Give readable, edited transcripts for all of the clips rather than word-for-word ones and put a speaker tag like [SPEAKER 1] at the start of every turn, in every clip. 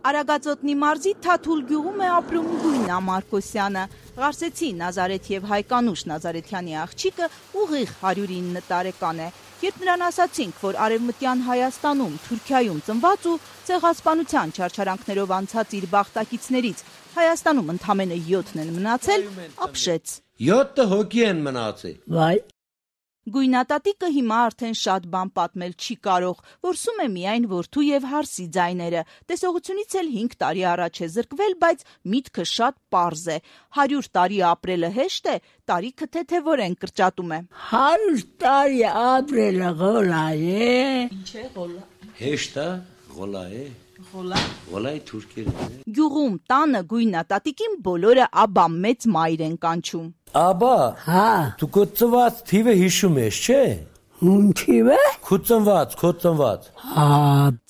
[SPEAKER 1] Արագածոտնի մարզի Թաթուլ գյուղում է ապրում Գույնա Մարկոսյանը։ Ղարսեցի Նազարեթ եւ Հայկանուշ Նազարեթյանի աղջիկը ուղիղ 109 տարեկան է։ Երբ նրան ասացինք, որ Արևմտյան Հայաստանում, Թուրքիայում ծնված ու ցեղասպանության չարչարանքներով անցած իր բախտակիցներից Հայաստանում ընդամենը 7-ն են մնացել, ապշեց։
[SPEAKER 2] 7 հոգի են մնացել։
[SPEAKER 1] Վայ։ Գույնատատիկը հիմա արդեն շատ բան պատմել չի կարող, որսում է միայն որդու եւ հարսի ձայները։ Տեսողությունից էլ 5 տարի առաջ է զրկվել, բայց միտքը շատ պարզ է։ 100 տարի ապրելը հեշտ է, տարիքը թեթևորեն կրճատում է։
[SPEAKER 3] 100 տարի ապրելը գոլա է։
[SPEAKER 1] Ինչ է գոլա։
[SPEAKER 2] Հեշտ է, գոլա է։ Գոլայի թուրքերն է։
[SPEAKER 1] Գյուղում տանը Գույնատատիկին բոլորը աբա մեծ մայր են կանչում։
[SPEAKER 2] Աբա,
[SPEAKER 3] հա,
[SPEAKER 2] դու քո ծնված թիվը հիշում ես, չէ՞։
[SPEAKER 3] Ում թիվը։
[SPEAKER 2] Քո ծնված։
[SPEAKER 3] Հա։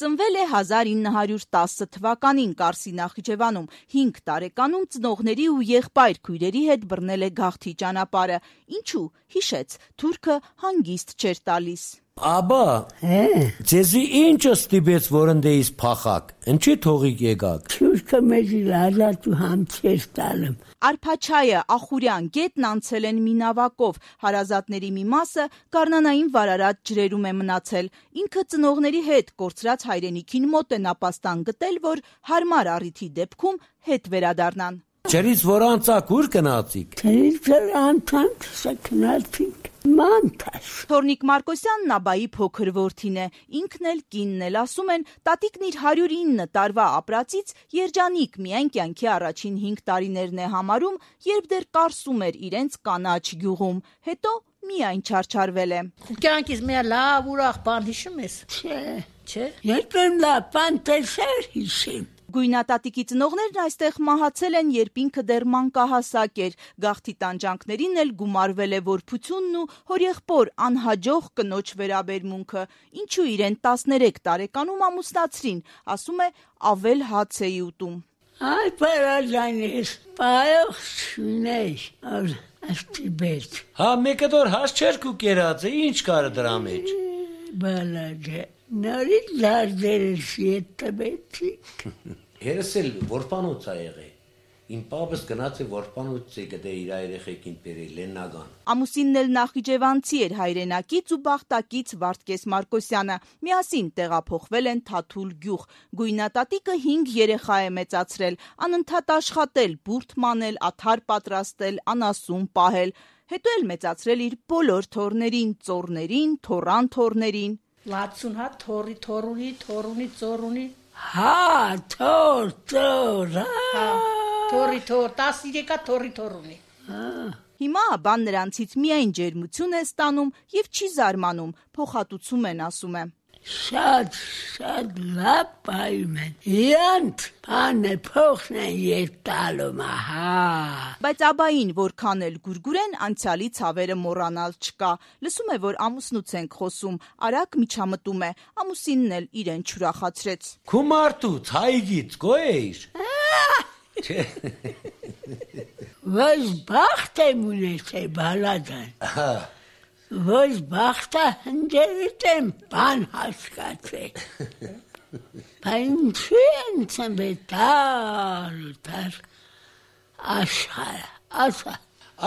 [SPEAKER 1] Ծնվել է 1910 թվականին Կարսի Նախիջևանում, 5 տարեկանում ծնողների ու եղբայր քույրերի հետ բռնել է գաղթի ճանապարհը։ Ինչու՞, հիշեց, թուրքը հանգիստ չէր տալիս։
[SPEAKER 2] Աբա, ձեզի ինչը ստիպեց, որ ընդեից փախակ, ինչի թողիկ եկաք։
[SPEAKER 3] Թուրքը մեզ լազատու համցեր տալում։
[SPEAKER 1] Արփաչայը, Ախուրյան, գետն անցել են մի նավակով, հարազատների մի մասը Գառնանային վարարած ջրերում է մնացել։ Ինքը ծնողների հետ կորցրած հայրենիքին մոտ է նապաստան գտել, որ հարմար առիթի դեպքում հետ վերադառնան։
[SPEAKER 2] Ջրից որ անցակ ուր գնացիք։
[SPEAKER 3] Ջրից անցանք սքնացինք մանտաշ։
[SPEAKER 1] Թորնիկ Մարկոսյանն աբայի փոքր որդին է, ինքն էլ կինն էլ ասում են, տատիկն իր 109 տարվա ապրածից երջանիկ միայն կյանքի առաջին 5 տարիներն է համարում, երբ դեռ կարսում էր իրենց կանաչ գյուղում, հետո միայն չարչարվել է։
[SPEAKER 4] Կյանքից մի լավ ուրախ բան հիշում ես։
[SPEAKER 3] Չէ։ Երբեմն լավ բան տեսար հիշում։
[SPEAKER 1] Գույնատատիկի ծնողներն այստեղ մահացել են, երբ ինքը դեռ մանկահասակ էր, գաղթի տանջանքներին էլ գումարվել է որբությունն ու հորեղբոր անհաջող կնոջ վերաբերմունքը, ինչու իրեն 13 տարեկանում ամուսնացրին, ասում է ավել հաց էի ուտում։
[SPEAKER 3] Այ պարաժանես, պայող շունեշ, աստիբետ։
[SPEAKER 2] Հա, մեկը դոր հաս չեր կու կերած է, ինչ կարը դրա մեջ։
[SPEAKER 3] Բալագե, նորից լարդերս ետ տբեցիք։
[SPEAKER 2] Երս էլ որպանոց է եղե, իմ պապս գնաց է որպանոց է գդե իր երեխեքին պերել լեննագան։
[SPEAKER 1] Ամուսինն էլ նախիջևանցի էր հայրենակից ու բախտակից Վարդգես Մարկոսյանը, միասին տեղափոխվել են Թաթուլ գյուղ, Գույնատատիկը 5 երեխա է մեծացրել, անընդհատ աշխատել, բուրդ մանել, աթար պատրաստել, անասուն պահել, հետո էլ մեծացրել իր բոլոր թոռներին, ծոռներին, թոռան թոռներին։
[SPEAKER 4] 60 հատ թորունի, ծորունի։
[SPEAKER 3] Հա, թոր,
[SPEAKER 4] հա, թորի, 13 հատ թորունի։
[SPEAKER 1] Հիմա աբան նրանցից միայն ջերմություն է ստանում և չի զարմանում, փոխհատուցում են, ասում է։
[SPEAKER 3] Շատ լավ պայում են, իրանց բանը փոխն են ետ տալում, ահա։
[SPEAKER 1] Բայց աբային որքան էլ գուրգուրեն, անցյալի ցավերը մոռանալ չկա, լսում է, որ ամուսնուց ենք խոսում, արագ միջամտում է, ամուսինն էլ իրեն չուրախացրեց։
[SPEAKER 2] Քու մարդուց, հայգից, գոյեիր։
[SPEAKER 3] Ոչ բախտ եմ ունեցել, բալադան։ Ոչ բախտը հնջերից եմ բան հասկացել։ Ինչու են ծնվետար աշխարը, ասա։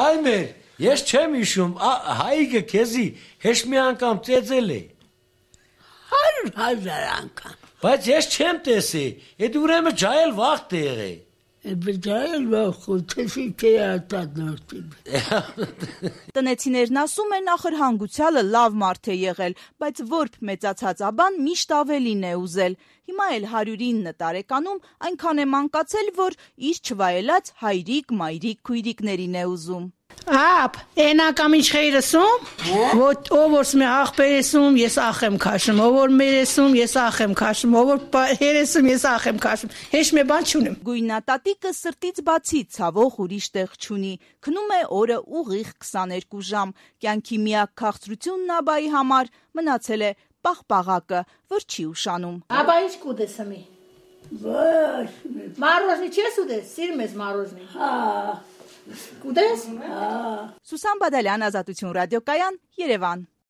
[SPEAKER 2] Այմեր, ես չեմ իշում, հայգը քեզի հեշ մի անգամ ծեծել է։
[SPEAKER 3] 100,000 անգամ։
[SPEAKER 2] Բայց ես չեմ տեսի, էդ ուրեմը ջայել վաղտ է եղե։
[SPEAKER 3] Բջայել վախութեսի կեատատ նորտիբ։
[SPEAKER 1] Տնեցիներն ասում են ախր հանգուցյալը լավ մարդ է եղել, բայց որբ մեծացած աբան միշտ ավելին է ուզել։ Հիմա էլ 109 տարեկանում այնքան է մանկացել, որ իր չվայելած հայրիկ, մայրիկ քույրիկներին է ուզում։
[SPEAKER 4] Ապ, էնակամ ինչ խեյրսում, ով որ սմե աղբերեսում, ես ախ եմ քաշում, ով որ մերեսում, ես ախ եմ քաշում, ով որ հերեսում, ես ախ եմ քաշում, հեշ մի բան չունեմ։
[SPEAKER 1] Գույնատատիկը սրտից բացի ցավող ուրիշ տեղ չունի, քնում է օրը ուղիղ 22 ժամ, կյանքի միակ քաղցրությունն աբայի համար մնացել է պաղպաղակը, որ չի ուշանում։
[SPEAKER 4] Աբա ինչ կուտես հմի։
[SPEAKER 3] Ոչ։
[SPEAKER 4] Մարոզնի չես ուտես, սիրում ես մարոզնի։
[SPEAKER 3] Հա։
[SPEAKER 4] Կուտես։
[SPEAKER 1] Սուսան Բադալյան, Ազատություն ռադիոկայան, Երևան։